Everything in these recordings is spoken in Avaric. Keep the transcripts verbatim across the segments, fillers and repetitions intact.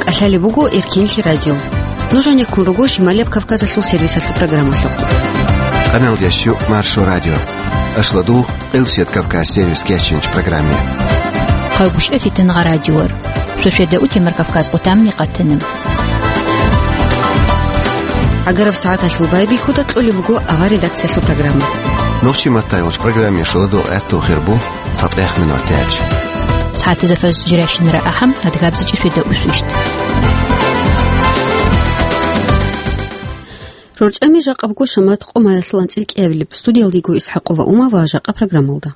ТӀалъалеб буго Эркенлъи радио. Нуж гьанеккун руго Шималияб Кавказалъул сервисалъул программалъухъ. Къаналдящу Маршо радио. Ашладугъ Къилсият Кавказ сервис кечинч программе. Хъагушев Фитингъа радиор. Шошеда утемар Кавказ къутамни къатана. ГӀагараб сагӀаталъул байбихьуда кьолеб буго авар редакциялъул программа. Нухчи Маттайолч программе шуладу гӀатту хирбу. ЦатӀехъ минуталъ. СагӀатизе фаз жирашинара ахӀам, адгабзичӀи шведа усвищт. РорчӀами жакъабго шамат къо маялъул анцӀил кӀиабилеб. Студиялдиго ИсхӀакъова Ума ва жакъа программалда.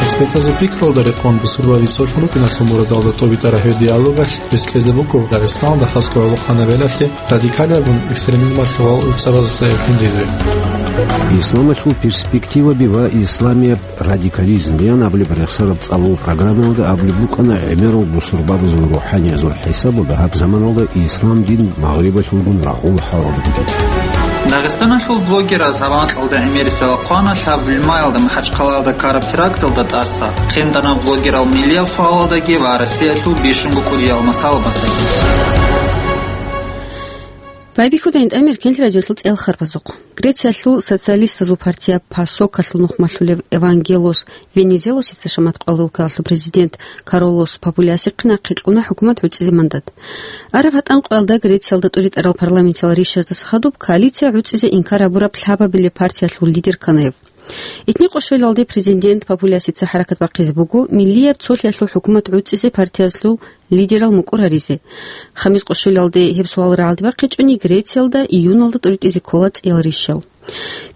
Экспертазул пикруялда рекъон бусурбаби цолъун рукӀиналъул мурадалда тӀобитӀараб гьеб диалогалъ рес кьезе буго Дагъистаналда хасго гӀолохъанаб белалъе радикалияб экстремизмалъул гъал-гӀуцӀабаздаса эркинлъизе. Исламалъул перспективаби ва исламияб радикализм ян абулеб рехсараб цӀалул программаялда абулеб букӀана гӀемерал бусурбабазул рухӀаниязул хӀисабалда гьаб заманалда ислам дин Магърибалъулгун рагъул хӀалалда бугеб. Дагъистаналъул блогераз гьаб анкьалда гӀемерисел хъвана лъаб лимаялда МахӀачхъалаялда ккараб теракталда тӀаса, хендана блогерал миллияб суалалдаги ва Россиялъул бищунго кӀудиял масалабаздаги. Байбихьуда гьитӀамир Эркенлъи радиолъул цӀел харбазухъ. Грециялъул социалистазул партия ПАСОКалъул нухмалъулев Евангелос Венизелосица шамат къвалулкалъул президент Каролос Папулиасихъе нахъе кьуна хӀукумат гӀуцӀизе мандат. Араб гьатӀан къоялда Грециялда тӀуритӀарал парламентиял ришаздаса хадуб коалиция гӀуцӀизе инкар гьабураб лъабабилеб партиялъул лидер ккана гьев. Итни къо щвелалде президент Папулиасица хӀаракат бахъизе буго миллияб цолъиялъул хӀукумат гӀуцӀизе партиялъул лидерал мукӀур гьаризе. Хамис къо щвелалде гьеб суал рагӀалде бахъичӀони, Грециялда июналда тӀуритӀизе ккола цӀиял ришал.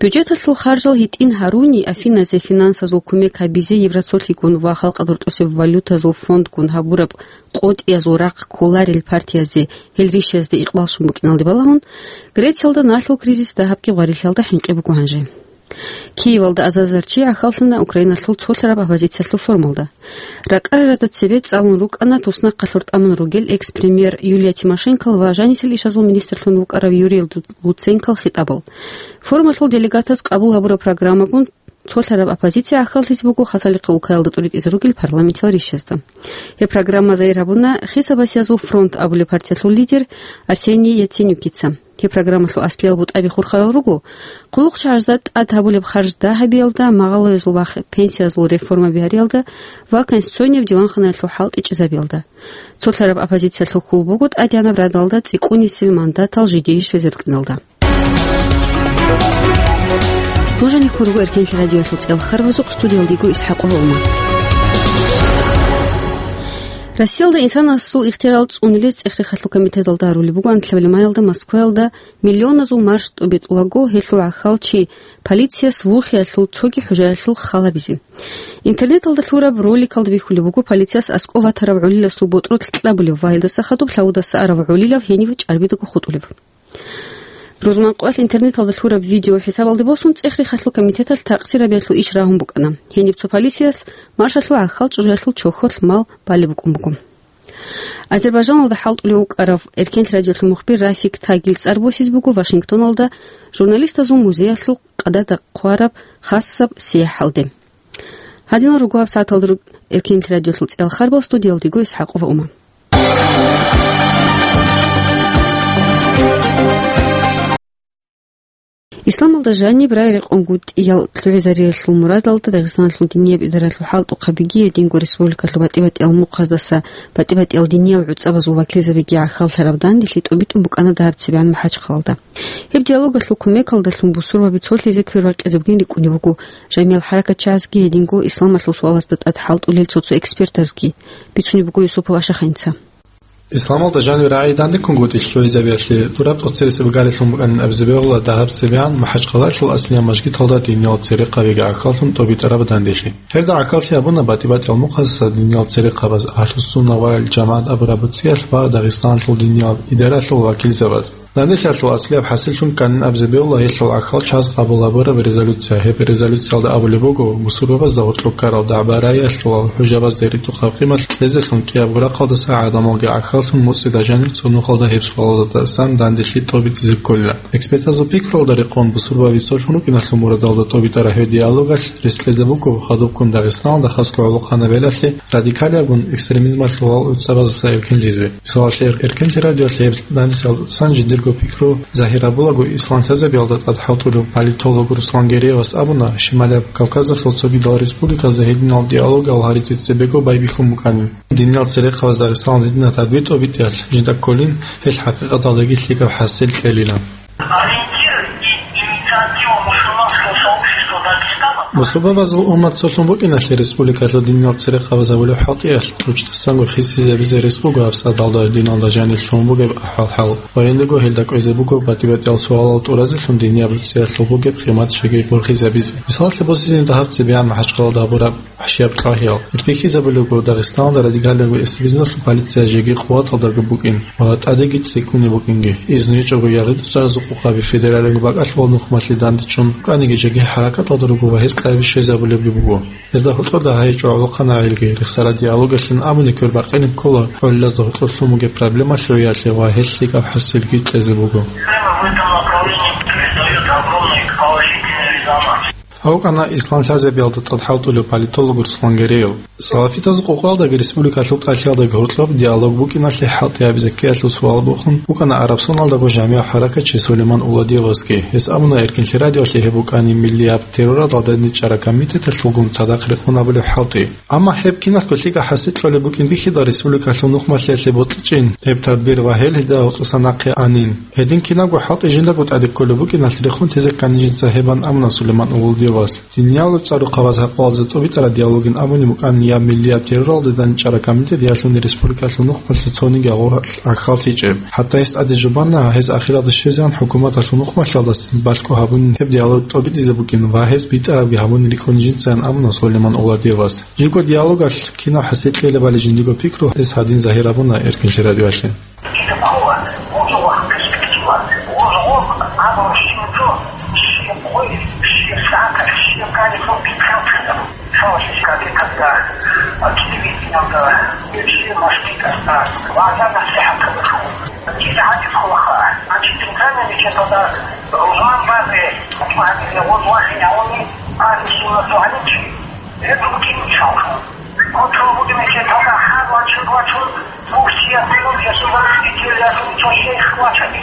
Бюджеталъул харжал гьитӀин гьаруни, Афиназе финансазул кумек гьабизе Евроцолъигун ва халкъалда рутӀусеб валютазул фондгун гьабураб къотӀиязул рахъ кколарел партиязе гьел ришазде икъбал щун букӀиналде балагьун, Грециялда налъул кризис дагьабги гъварилъалда хӀинкъи буго гьанже. Киевалда азарзарчи гӀахьаллъана Украиналъул цолъараб оппозициялъул форумалда. РакӀараразда цебе цӀалун рукӀана туснахъалъур тӀамун ругел экс-премьер Юлия Тимошенкол ва жанисел ишазул министрлъун вукӀарав Юрий Лу-, Луценкол хитӀабал. Форумалъул делегатаз къабул гьабураб программагун цолъараб оппозиция гӀахьаллъизе буго Хасалихъа улкаялда тӀуритӀизе ругел парламентиял ришазда. Гьеб программа зайир гьабуна Хисабасиязул фронт абулеб партиялъул лидер Арсений Яценюкица. Гьеб программалъул аслиял бутӀаби хурхарал руго: хъулухъчагӀазда тӀад гьабулеб харж дагьабиялда, магъалоязул вахъ пенсиязул реформаби гьариялда ва Конституцияб диванханаялъул хӀалтӀи чӀезабиялда. Цолъараб оппозициялъул хьул буго тӀадегӀанаб радалда цӀикӀкӀунисел мандатал жидее щвезе рукӀиналда. Нуж гьанеккун руго Эркенлъи радиоялъул цӀел харбазухъ, студиялдиго ИсхӀакъова Ума. Россиялда инсанасул ихтиярал цӀунулез цӀех-рехалъул комитеталда гьарулеб буго анлъабилеб маялда Москваялда миллионазул марш тӀубитӀулаго, гьелъул гӀахьал чи полицияс вухиялъул цоги хӀужаялъул хал гьабизе. Интернеталда лъураб роликалда бихьулеб буго полицияс аскӀов ватарав гӀолиласул ботӀролъ кьабулеб ва гьелдаса хадуб лъавудаса арав гӀолилав гьенив чӀарбидаго хутӀулев. Рузманкъоялъ интернеталда лъураб видео хӀисабалде босун, цӀех-рехалъул комитеталъ такъсирабиялъул иш рагьун букӀана. Гьениб цо полицияс маршалъул гӀахьал чӀужуялъул чохьолъ мал балеб букӀун буго. Азербайжаналда хӀалтӀулев вукӀарав Эркенлъи радиолъул мухбир Рафик Тагил цӀар босизе буго Вашингтоналда журналистазул музеялъул къадада хъвараб хасаб сияхӀалде. Гьадинал руго гьаб сагӀаталда руг-, Эркенлъи радиолъул цӀел харбал, студиялдиго ИсхӀакъова Ума. Исламалда жаниб рагӀи-рекъонгутӀиял лъугӀизариялъул мурадалда Дагъистаналъул динияб идаралъул хӀалтӀухъабиги гьединго республикалъул батӀи-батӀиял мухъаздаса батӀи-батӀиял диниял гӀуцӀабазул вакилзабиги гӀахьаллъараб данделъи тӀубитӀун букӀана дагьаб цебегӀан МахӀачхъалалда. Гьеб диалогалъул кумекалдалъун бусурбаби цолъизе квербакъизе бугин рикӀкӀунеб буго жамиял хӀаракатчагӀазги гьединго исламалъул суалазда тӀад хӀалтӀулел цо-цо экспертазги, бицунеб буго Юсупов Ашахъинца. Исламалда жаниб рагӀи дандеккунгутӀи лъугӀизабиялъе тӀураб тӀоцебесеб гарилъун букӀанин абизе бегьула дагьаб цебегӀан МахӀачхъалалъул аслияб мажгиталда динияб церекъабиги гӀахьаллъун тӀобитӀараб данделъи. Гьелда гӀахьаллъи гьабуна батӀи-батӀиял мухъаздаса динияб церекъабаз, Агьлуссунна вал ЖамагӀат абураб буцӀиялъ ва Дагъистаналъул динияб идаралъул вакилзабаз. Данделъиялъул аслияб хӀасиллъун кканин абизе бегьула гьелъул гӀахьал чияс къабул гьабураб резолюция. Гьеб резолюциялда абулеб буго, бусурбабазда гьоркьоб ккарал дагӀба-раялъулал хӀужабазда ритӀухъаб къимат кьезелъун кӀиябго рахъалдаса гӀадамалги гӀахьаллъун муцӀида жанир цо нухалда гьеб суалалдасан данделъи тӀобитӀизе кколила. Экспертазул пикруялда рекъон, бусурбаби цолъун рукӀиналъул мурадалда тӀобитӀараб гьеб диалогалъ рес кьезе буго хадубккун Дагъистаналда хасго гӀолохъанаб гьелалъе радикалиябгун экстремизмалъул гьал гӀуцӀабаздаса эркинлъизе. Мисалалъе, Эркинлъи радиоялъ гьеб данделъиялда цан жиндирго пикру загьир гьабулаго, ислам лъазабиялда тӀад хӀалтӀулев политолог Руслан Гереевас абуна, Шималияб Кавказалъул цогидал республиказда гьединал диалогал гьаризе цебего байбихьун букӀанин. Диниял церехъабаз Дагъистаналда гьединаб тӀадбитӀ тӀобитӀиялъ жинда кколин, гьелъ хӀакъикъаталдаги лъикӀаб хӀасил кьелила. Ориентир и инициатива мусульманского сообщества Дагестана. Бусурбабазул уммат цолъун букӀиналъе республикалъул диниял церехъабаз гьабулеб хӀалтӀиялъ тӀучӀдасанго хисизабизе рес буго гьабсагӀаталда диналда жанир лъугьун бугеб ахӀвал-хӀал ва гьелдего гьелда кӀвезе буго батӀи-батӀиял суалал тӀуразелъун динияб рецӀиялъул бугеб къимат жеги борхизабизе. Мисалалъе босизеги дагьаб цебегӀан МахӀачхъалалда гьабураб вахӀшияб тӀагьиял. Ил бихьизабулебго, Дагъистаналда радикалияб экстремизмалъул полиция жеги къуваталдаго букӀин ва тӀадеги цӀикӀкӀунеб букӀинги. Изну гьечӀого ягъи-дуцаразул къокъаби федералияб бакӀалъулал нухмалъе дандечӀун букӀаниги, жеги хӀаракаталда руго ва гьез къаби щвезабулебги буго. Гьезда гьоркьода гьайчӀо гӀолохъанагӀелги рехсараб диалогалъин абуни квербакъилин ккола гӀолилазда гьоркьор лъун бугеб проблемалъул яхӀе ва гьелъ лъикӀаб хӀасилги кьезе буго. Проблема в этом направлении придает огромный положительный резонанс. Гьав вукӀана ислам лъазабиялда тӀад хӀалтӀулев политолог Руслан Гереев. Салафитазул къокъалдаги республикалъул тӀалъиялдаги гьоркьоб диалог букӀиналъе хӀалтӀи гьабизе ккеялъул суал бухун вукӀана Арабсоналдаго жамигӀ хӀаракатчи Сулейман Уладиевасги. Гьес абуна, Эркинлъи радиоялъе гьеб букӀанин миллияб терроралда дандчӀвараб комитеталъулгун цадахъ рекъон гьабулеб хӀалтӀи. Амма гьеб киналго лъикӀаб хӀасил кьолеб букӀин бихьидал республикалъул нухмалъиялъе бокьичӀин гьеб тадбир ва гьел гьелда гьоркьоса нахъе анин. Гьедин кинабго хӀалтӀи жиндаго тӀаде кколеб букӀиналъ рехун тезе ккани жинца гьебан абуна Сулейман Уладиевас. Диниял цӀар-рухъабаз гьаб къоялъ тӀобитӀараб диалогин абуни букӀанин яб миллияб терроралда дандчӀвараб комитет ялъуни республикалъул нухмалъе цониги гъоркь гӀахьаллъичӀеб. ХӀатта гьес тӀаде жубанна гьез ахиралда щвезегӀан хӀукуматалъул нухмалъалдасан балъго гьабунин гьеб диалог тӀобитӀизе букӀин ва гьез битӀарабги гьабун рикӀкӀуни жинцайин абуна Сулейман Уладиевас. Жибго диалогалъ кинаб хӀасил кьелебали жиндиго пикру гьес гьадин загьир гьабуна Эркинлъи радиоялъе. И такого, вот у вас перспектива. Вот, вот, а вот что, все, ой, все сахар, все калифорнийские. Слышишь, как и когда, а, телевидение, да, и все мошки, да, глаза на всех открыты. Дилли гьаниб хъулаха. Значит, центральный мечеть, да, Рузман базе, вот, вот, вот, они, а, не сильно звонить. Это вот и не жалко. Вот, вот, мечеть, да, хар вачун, вачун, ну, все, ну, я сюда, я сюда, что шейх вачани.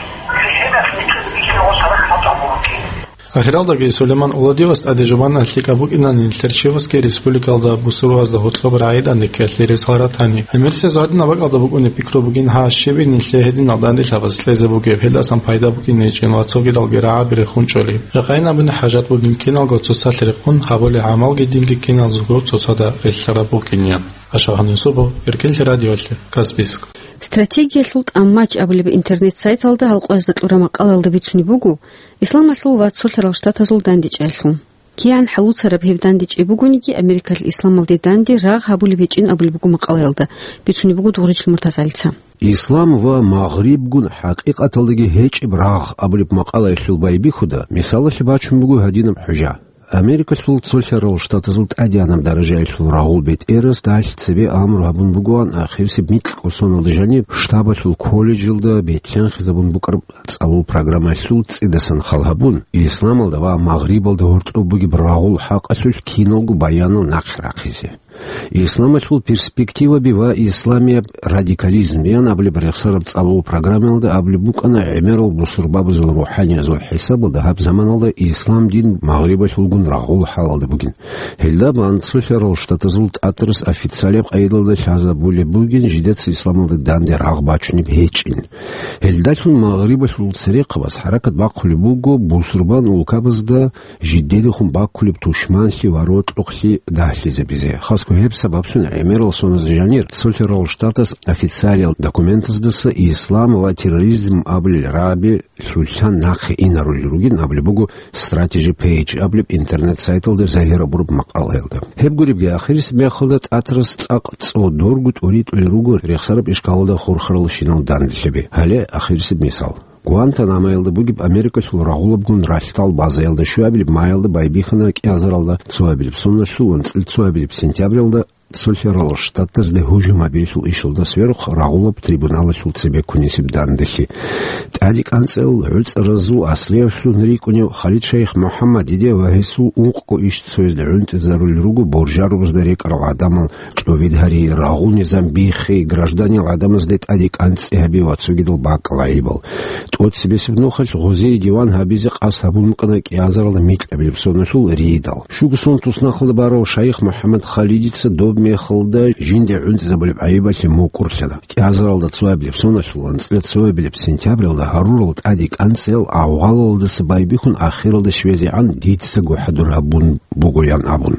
Ахиралдаги Сулейман Уладиевас тӀаде жубан лъикӀаб букӀинани нилъер чиясги республикалда бусурбабазда гьоркьоб рагӀида никкелъе рес гьаратани. ГӀемерисез гьадинаб бакӀалда букӀунеб пикру бугин гьа щибин нилъее гьединал данделъабаз кьезе бугеб, гьелдасан пайда букӀине гьечӀин ва цогидалги рагӀаби рехун чӀолеб. Рекъайин абуни хӀажат бугин киналго цоцалъ рехун гьабулеб гӀамалги динги киназулго цоцазда релълъараб букӀинеян. Ашагьан Юсупов, Эркинлъи радиоялъе, Каспийск. Стратегиялъул тӀамач абулеб интернет-сайталда гьалкъоязда кьураб макъалаялда бицунеб буго, Исламалъул ва цолъарал штатазул дандечӀеялъул. КигӀан хӀалуцараб гьеб дандечӀеб бугониги, Америкалъ исламалде данде рагъ гьабулеб гьечӀин абулеб буго макъалаялда, бицунеб буго Дугъричил МуртазагӀалица. Ислам ва Магърибгун хӀакъикъаталдаги гьечӀеб рагъ абулеб макъалаялъул байбихьуда мисалалъе бачун буго гьадинаб хӀужа. Америкалъул цолъарал штатазул тӀадегӀанаб даражаялъул рагъул бетӀерасда гьалъ цебе амру гьабун бугоан ахирисеб микьго соналда жаниб штабалъул колледжалда бетӀлъанхизабун букӀараб цӀалул программаялъул цӀидасан хал гьабун, исламалда ва Магърибалда гьоркьоб бугеб рагъул хӀакъалъулъ киналго баянал нахъе рахъизе. Исламалъул перспективаби ва исламияб радикализмиян абулеб рехсараб цӀалул программаялда абулеб букӀана гӀемерал бусурбабазул рухӀаниязул хӀисабалда гьаб заманалда ислам дин Магърибалъулгун рагъул хӀалалда бугин. Гьелда бан цолъарал штатазул тӀатарас официалияб къайдалда лъазабулеб бугин жидеца исламалда данде рагъ бачунеб гьечӀин. Гьелдалъун Магърибалъул церехъабаз хӀаракат бахъулеб буго бусурбан улкабазда жидедехун баккулеб тушманлъи ва рокьукълъи дагьлъизабизе. Хасго гьеб сабаблъун гӀемерал соналда жанир цолъарал штатас официалияб документаздаса ислам ва терроризм абулел рагӀаби лъугьине нахъе инарулел ругин абулеб буго Strategy Page абулеб интернет-сайталда загьир гьабураб макъалаялда. Гьеб гуребги, ахирисеб мехалда тӀатарас цӀакъ цӀодорго тӀуритӀулел руго рехсараб ишкалалда хурхаралщинал данделъаби. Гьале ахирисеб мисал. Гуантанамоялда бугеб Америкалъул рагъулабгун ралъдал базаялда щуабилеб маялда байбихьана кӀиазаралда цоабилеб соналъул анцӀил цоабилеб сентябралда Цолъарал Штатазде гьужум гьабиялъул ишалда сверухъ рагъулаб трибуналалъул цебеккунисеб данделъи. ТӀаде кӀанцӀел гӀуцӀаразул аслиявлъун рикӀкӀунев Халид Шайх МухӀаммадиде ва гьесул ункъго ишцоязде гӀунтӀизарулел руго боржарубазда рекӀарал гӀадамал кьобид гьари, рагъул низам биххи, гражданиял гӀадамазде тӀаде кӀанцӀи гьаби ва цогидал бакӀал гӀайибал. ТӀоцебесеб нухалъ гъозие диван гьабизе къасд гьабун букӀана кӀиазаралда микьабилеб соналъул ридал. Щуго сон туснахъалда барав Шайх МухӀаммад Халидица доб мехалда жинде гӀунтӀизабулеб гӀайибалъе мукӀурлъана. КӀиазаралда цоабилеб соналъул анцӀила цоабилеб сентябралда гьарурал тӀаде кӀанцӀел авгъалалдаса байбихьун ахиралда щвезегӀан дицаго хӀадур гьабун бугоян абун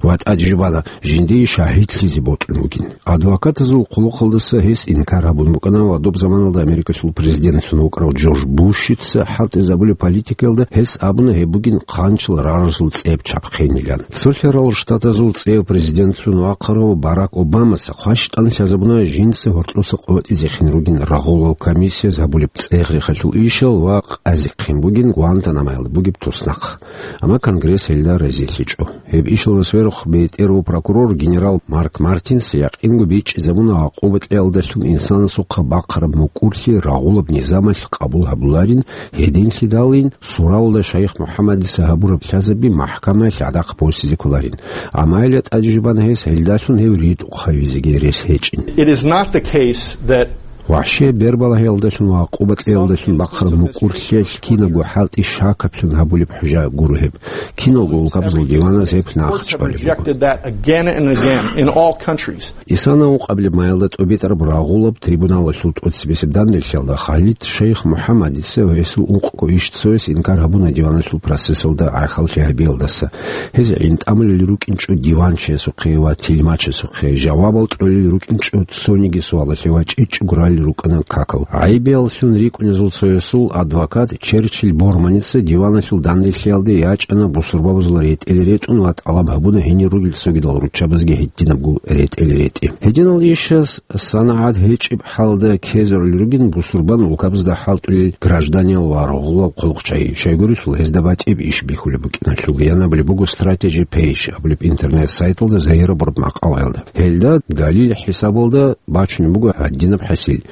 ва тӀаде жубана жиндие шагьидлъизе бокьун бугин. Адвокатазул хъулухъалдаса гьес инкар гьабун букӀана ва доб заманалда Америкалъул президентлъун вукӀарав Джордж Бушица хӀалтӀизабулеб политикаялда гьес абуна гьеб бугин хъанчал рарасул цӀеб чабхъинилан. Цолъарал Штатазул цӀев президентлъун вахъарав Барак Обамаца хъващтӀан лъазабуна жинца гьоркьоса къотӀизехин ругин рагъулал комиссияз гьабулеб цӀех-рехалъул ишал ва къазихъин бугин Гуантанамоялда бугеб туснахъ. Амма Конгресс гьелда разилъичӀо. Гьеб ишалда сверухъ бетӀер ва прокурор генерал Марк Мартинс якъинго бичӀчӀизабуна гӀакъуба кьеялдалъун инсанасухъа бахъараб мукӀурлъи рагъулаб низамалъ къабул гьабуларин, гьединлъидалин суравалда Шайх МухӀаммадица гьабураб лъазаби махӀкамаялъ гӀадахъ босизе кколарин. Амма гьелда тӀаде жубана гьес гьелдалъун гьев ритӀухъ гьавизеги рес гьечӀин. It is not the case that ВахӀшияб бербалагьиялдалъун ва гӀакъуба кьеялдалъун бахъараб мукӀурлъиялъ кинабго хӀалтӀи шакаблъун гьабулеб хӀужа гуро гьеб. Киналго улкабазул диваназ гьеб нахъчӀвалеб буго. Rejected that again and again in all countries. Исана ункъабилеб маялда тӀобитӀараб рагъулаб трибуналалъул тӀоцебесеб данделъиялда Халид Шайх МухӀаммадица ва гьесул ункъго ишцояс инкар гьабуна диваналъул процессалда гӀахьаллъи гьабиялдаса. Гьез гӀинтӀамулел рукӀинчӀо диванчиясухъе ва тилмачасухъе, жавабал кьолел рукӀинчӀо цониги суалалъе ва чӀечӀого ралел рукӀана какал. ГӀайибияллъун рикӀкӀунезул цоясул адвокат Черчилль Борманица диваналъул данделъиялде ячӀана бусурбабазул ретӀел ретӀун ва тӀалаб гьабуна гьенир ругел цогидал руччабазги гьединабго ретӀел ретӀи. Гьединал ишас санагӀат гьечӀеб хӀалда ккезарулел ругин бусурбан улкабазда хӀалтӀулел гражданиял ва рагъулал хъулухъчагӀи, щайгурелъул гьезда батӀиб иш бихьулеб букӀиналъул. Янабулеб буго Strategy Page абулеб интернет-сайталда загьирабураб макъалаялда. Гьелда далил хӀисабалда бачунеб буго гьадинаб хӀасил.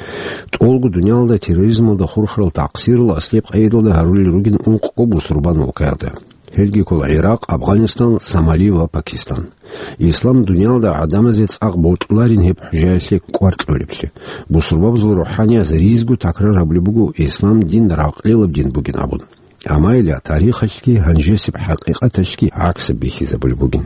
ТӀолго дуниялалда терроризмалда хурхарал такъсирал аслияб къайдалда гьарулел ругин ункъго бусурбан улкаялда. Гьелги ккола ГӀиракъ, Афганистан, Сомали ва Пакистан. Ислам дуниялда гӀадамазе цӀакъ бокьуларин гьеб хӀужаялъе кӀвар кьолеблъи. Бусурбабазул рухӀаниязул ризго такрар гьабулеб буго ислам дин ракълилаб дин бугин абун. Амма гьеле тарихалъги гьанжесеб хӀакъикъаталъги гӀаксаб бихьизабулеб бугин.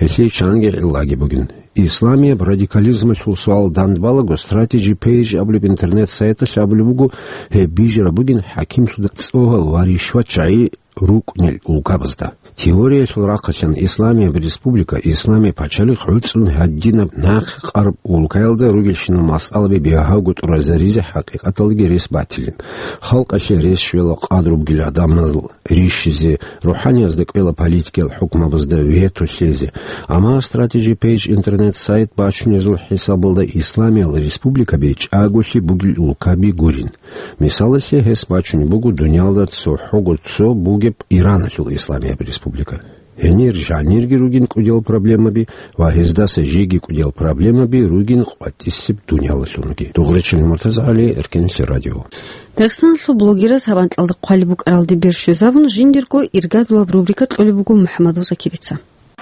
Гьелъие чанги гӀиллаги бугин. Исламияб радикализмалъул суал дандбалаго Strategy Page абулеб интернет-сайталъ абулеб буго, гьеб бижараб бугин хӀакимлъуда цӀогьал ва ришватчагӀи рукӀунел улкабазда. Теориялъул рахъалъан Исламияб республика, Исламияб пачалихъ гӀуцӀун гьадинаб нахъе къараб улкаялда ругелщинал масъалаби бигьавго тӀуразаризе хӀакъикъаталдаги рес батилин. Халкъалъе рес щвела къадру бугел гӀадамазул рищизе, рухӀаниязда кӀвела политикиял хӀукмабазда вето лъезе. Амма Strategy Page интернет-сайт бачунезул хӀисабалда Исламиял республикаби чӀаголъи бугел улкаби гурин. Мисалалъе, гьес бачунеб буго дуниялда цохӀого цо бугеб Ираналъул Исламияб республика. Гьенир жанирги ругин кӀудиял проблемаби ва гьездаса жеги кӀудиял проблемаби ругин къватӀисеб дуниялалъунги. Дугъречил МуртазагӀали, Эркенлъи радио. Дагъистаналъул блогераз гьаб анкьалда хъвалеб букӀаралде бер щвезабун, жиндирго иргадулаб рубрика кьолеб буго МухӀаммадул Закирца.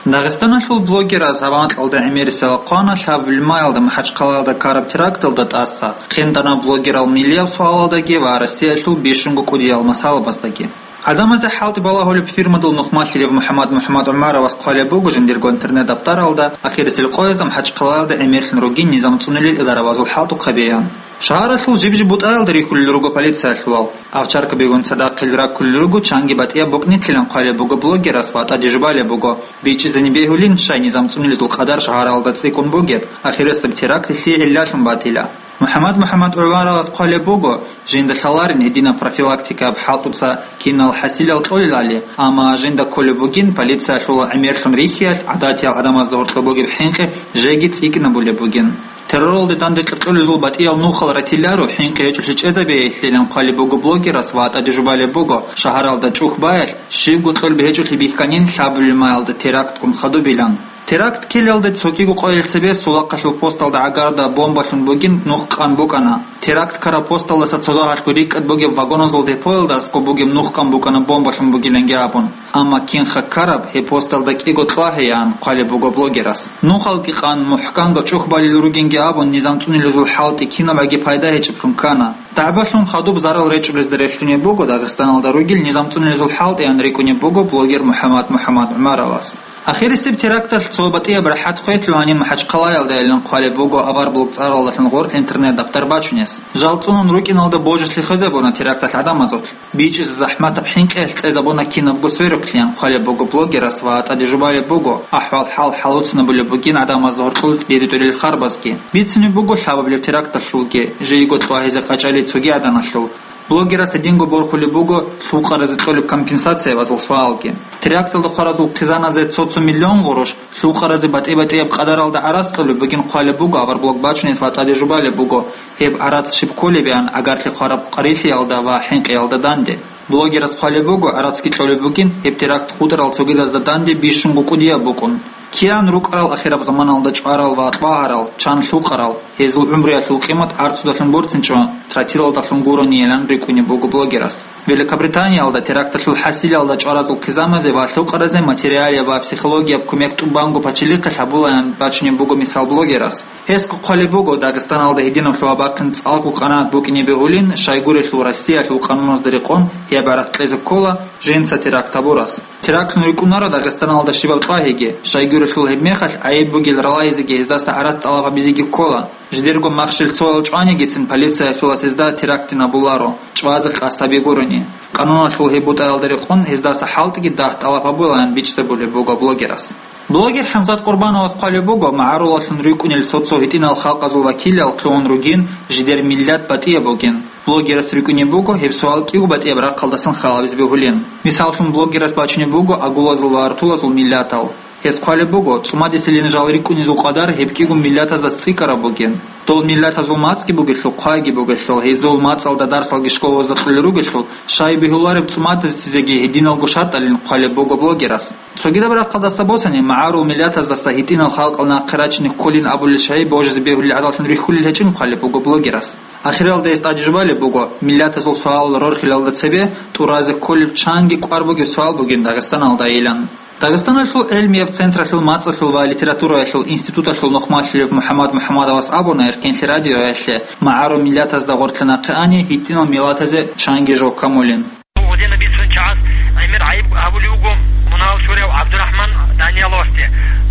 Дагъистаналъул блогераз гьаб анкьалда гӀемерисел хъвана лъабабилеб майалда МахӀачхъалаялда ккараб теракталда тӀаса, хъинтӀана блогерал нилияб суалалдаги ва Россиялъул бищунго кӀудиял масъалабаздаги. ГӀадамазе хӀалтӀи балагьулеб фирмадул нухмалъилев МухӀаммад МухӀаммад ГӀумаровас хъвалеб буго жиндирго интернет-даптаралда, ахирисел къоязда МахӀачхъалаялда гӀемерлъун ругин низам цӀунулел идаравазул хӀалтӀухъабиян. Шагьаралъул жиб-жиб бутӀаялда рихьулел руго полициялъулал. Овчаркабигун цадахъ хъел раккулел руго, чанги батӀияб букӀнилъилан хъвалеб буго блогерас ва тӀаде жубалеб буго, бичӀчӀизеги бегьулин, щай низам цӀунулезул къадар шагьаралда цӀикӀкӀун бугеб, ахирисеб теракт гьелъие гӀиллалъун батила. МухӀаммад МухӀаммад ГӀумаровас хъвалеб буго, жинда лъаларин гьединаб профилактикаяб хӀалтӀуца кинал хӀасилал кьолелали, амма жинда кколеб бугин полициялъулал гӀемерлъун рихьиялъ гӀадатиял гӀадамазда гьоркьоб бугеб хӀинкъи жеги цӀикӀкӀинабулеб бугин. Терроралде данде кьикьулезул батӀиял нухал ратиларо, хӀинкъи гьечӀолъи чӀезабейилъилан хъвалеб буго блогерас ва тӀаде жубалеб буго, шагьаралда чӀухь баялъ, щибго кьолеб гьечӀолъи бихьанин лъабабилеб мехалда терактккун хадубилан. Теракт ккелалде цогиго къоялъ цебе сулахъалъул посталда гӀагарда бомбалъун бугин нух къан букӀана. Теракт ккараб посталдаса цо дагьалъго рикӀкӀад бугеб вагоназул депоялда аскӀоб бугеб нух къан букӀана бомбалъун бугиланги абун. Амма кинха ккараб, гьеб посталда кӀиго кьвагьеян хъвалеб буго блогерас. Нухалги къан мухӀканго чӀухь балел ругинги абун, низам цӀунилезул хӀалтӀи кинабаги пайда гьечӀеблъун ккана. ДагӀбалъун хадуб зарал речӀчӀулезда релълъунеб буго Дагъистаналда ругел низам цӀунилезул хӀалтӀиян рикӀкӀунеб буго блогер МухӀаммад МухӀаммад ГӀумаровас. Ахирисеб теракталъ цо батӀияб рахӀат хвелъун гьаниб МахӀачхъалаялдайилан хъвалеб буго аварблог цӀаралдалъун гъоркь интернет-дафтар бачунес. Жал цӀунун рукӀиналда божалъи хвезабуна теракталъ гӀадамазулъ. БичӀчӀизе захӀматаб хӀинкъиялъ цӀезабуна кинабго сверухълъиян хъвалеб буго блогерас ва тӀаде жубалеб буго, ахӀвал-хӀал хӀалуцунабулеб бугин гӀадамазда гьоркьул цӀидеде тӀурел харбазги. Бицунеб буго лъабабилеб теракталъулги, жийго кьвагьизе къачӀали цоги гӀаданалъул. Блогерас гьединго борхулеб буго лъукъаразе кьолеб компенсациябазул суалги. Теракталда хваразул хъизаназе цо-цо миллион гъурущ, лъукъаразе батӀи-батӀияб къадаралда гӀарац кьолеб бугин хъвалеб буго аварблог бачунес ва тӀаде жубалеб буго, гьеб гӀарац щиб кколеб ян, агарли хвараб къарилъиялда ва хӀинкъиялда данде. Блогерас хъвалеб буго, гӀарацги кьолеб бугин, гьеб теракт хутӀарал цогидазда данде бищунго кӀудияб букӀун. Киян рукӀарал ахираб заманалда чӀварал ва тӀвагьарал, чан лъукъарал, гьезул гӀумруялъул къимат гӀарцудалъун борцинчӀо, тротилалдалъун гуронийилан рикӀкӀунеб буго блогерас. Великобританиялда теракталъул хӀасилалда чӀваразул хъизаназе ва лъукъаразе материалияб ва психологияб кумек тӀубанго пачалихъалъ гьабулаян бачунеб буго мисал блогерас. Гьесго хъвалеб буго, Дагъистаналда гьединавлъун вабахъин цӀакъго къанагӀат букӀине бегьулин, щайгурелъул Россиялъул къануназда рекъон гьеб гӀарац кьезе ккола жинца теракт гьабурас. Терактлъун рикӀкӀунаро Дагъистаналда щибаб тӀвагьиги, щайгурелъул гьебмехалъ гӀайиб бугел ралайзеги гьездаса гӀарац тӀалаб гьабизеги ккола. Жидерго махщел цоял чӀванигицин полициялъулас гьезда терактин абуларо, чӀвазе къасд гьаби гурони. Къануналъул гьеб бутӀаялда рекъон гьездаса хӀалтӀиги дагь тӀалаб гьабулаян бичӀчӀабулеб буго блогерас. Блогер ХӀамзат Къурбановас хъвалеб буго, магӀарулалъун рикӀкӀунел цо-цо гьитӀинал халкъазул вакилал лъугьун ругин, жидер миллат батӀияб бугин. Блогерас рикӀкӀунеб буго, гьеб суал кӀиго батӀияб рахъалдасан халабизе бегьулин. Мисаллъун, блогерас бачунеб буго агулазул ва артулазул миллатал. Гьес хъвалеб буго, цӀумадисилин жал рикӀкӀунезул къадар гьеб кӀиго миллатазда цӀикӀкӀараб бугин. Дол миллатазул мацӀги бугелъул, хъвайги бугелъул, гьезул мацӀалда дарсалги школалазда кьолел ругелъул, щай бегьулареб цӀумадисезеги гьединалго шартӀалин хъвалеб буго блогерас. Цогидаб рахъалдаса босани, магӀарул миллатаздаса гьитӀинал халкъал нахъе рачине кколин абулел шагьи божизе бегьулел гӀадаллъун рихьулел гьечӀин хъвалеб буго блогерас. Ахиралда гьес тӀаде жубалеб буго, миллатазул суалал рорхилалда цебе тӀуразе кколеб чанги кӀвар бугеб суал бугин Дагъистаналдайилан. Дагъистаналъул гӀилмияб централъул мацӀалъул ва литератураялъул институталъул нухмалъулев МухӀаммад МухӀаммадовас абуна Эркенлъи радиоялъе, магӀарул миллатазда гъоркье нахъе ани гьитӀинал миллатазе чанги жо камулин. Гъудина бицун чагӀаз гӀемер гӀайиб гьабулев вуго мунагьал чурав ГӀабдурахӀман Данияловасде,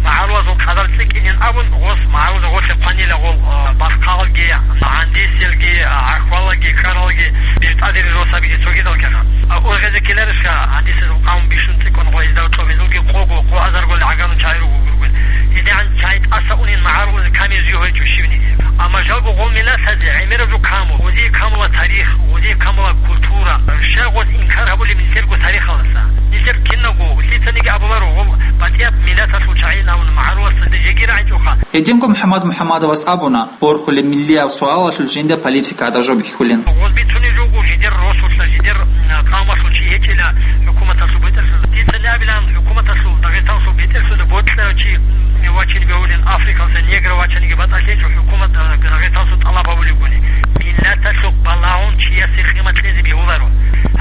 магӀарулазул къадар цӀикӀкӀинин абун, гъос магӀарулазда гъорлъе хъванила гъол, а, бахъалги, гӀандисилги, а, гӀахьвалалги, ккаралги, биртӀадери росабиги цогидал ккана. А, ургъезе ккеларищха, гӀандисазул къавм бищун цӀикӀкӀун гъо гьезда кьобезулги къого, къо азарго гӀагарун чагӀи руго гургун. ГьедигӀан чагӀи тӀаса унин магӀарулазе камизе гьечӀо щивниги. Амма жалго гъол миллатазе гӀемераб жо каму, гъозие камула тарих, гъозие камула культура. Щай гъоз инкар гьабулеб нилъерго тарихалдаса? Нилъер киналго, лъицаниги абуларо, гъол батӀияб миллаталъул чагӀи абун магӀаруласда жеги рагӀичӀоха. Гьединго МухӀаммад МухӀаммадовас абуна, борхулеб миллияб суалалъул жинда политика гӀадаб жо бихьулин. Гъоз бицунеб жо буго жидер росулъа, жидер, м, къавмалъул чи гьечӀила хӀукуматалъул бетӀерлъуда. Дица абилан, хӀукуматалъул, Дагъистаналъул бетӀерлъуда бокьарав чи, м, вачине бегьулин, Африкалъа негр вачаниги батӀалъи гьечӀо, хӀукумат, а, Дагъистаналъул тӀалаб гьабулебгони. Миллаталъухъ балагьун чиясе къимат кьезе бегьуларо.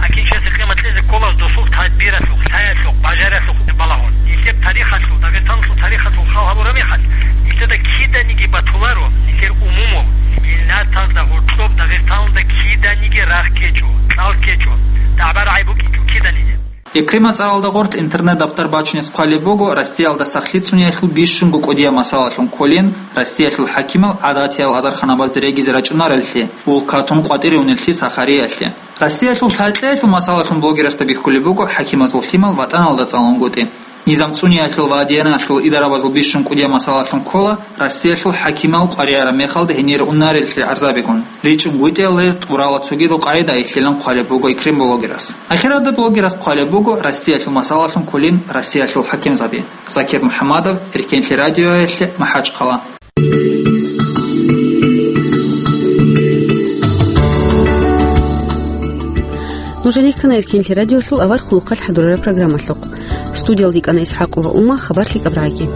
ГьакӀин чиясе къимат кьезе ккола досул тадбиралъухъ, лъаялъухъ, бажаралъухъ балагьун. Нилъер тарихалъул, Дагъистаналъул тарихалъул хал гьабураб мехалъ, нилъеда киданиги батуларо, нилъер умумул, миллатазда гьоркьоб Дагъистаналда киданиги рахъ ккечӀо, кьал ккечӀо, дагӀба-рагӀи букӀинчӀо киданиги. Экрема цӀаралда гъоркь интернет-дафтар бачунес хъвалеб буго, Россиялда сахлъи цӀуниялъул бищунго кӀудияб масалалъун кколин, Россиялъул хӀакимал гӀадатиял азарханабазде регизе рачӀунареллъи, улкатун къватӀире унеллъи Сахариялъе. Россиялъул лъай-кьеялъул масалалъун блогерасда бихьулеб буго хӀакимазул лъимал ватӀаналда цӀалунгутӀи. Низам цӀуниялъул ва дианалъул идарабазул бищун кӀудияб масалалъун ккола, Россиялъул хӀакимал къваригӀараб мехалда гьенире унареллъи гӀарзабигун. РичӀунгутӀиялда гьез тӀурала цогидал къагӀидаялъилан хъвалеб буго Экрем блогерас. Ахиралда блогерас хъвалеб буго Россиялъул масалалъун кколин Россиялъул хӀакимзаби. Закир МухӀаммадов, Эркенлъи радиоялъе, МахӀачхъала. Нужер рихьана Эркенлъи радиолъул авар хъулухъалъ хӀадурараб программалъухъ. Студиялда йикӀана ИсхӀакъова Ума, хабар лъикӀаб рагӀаги.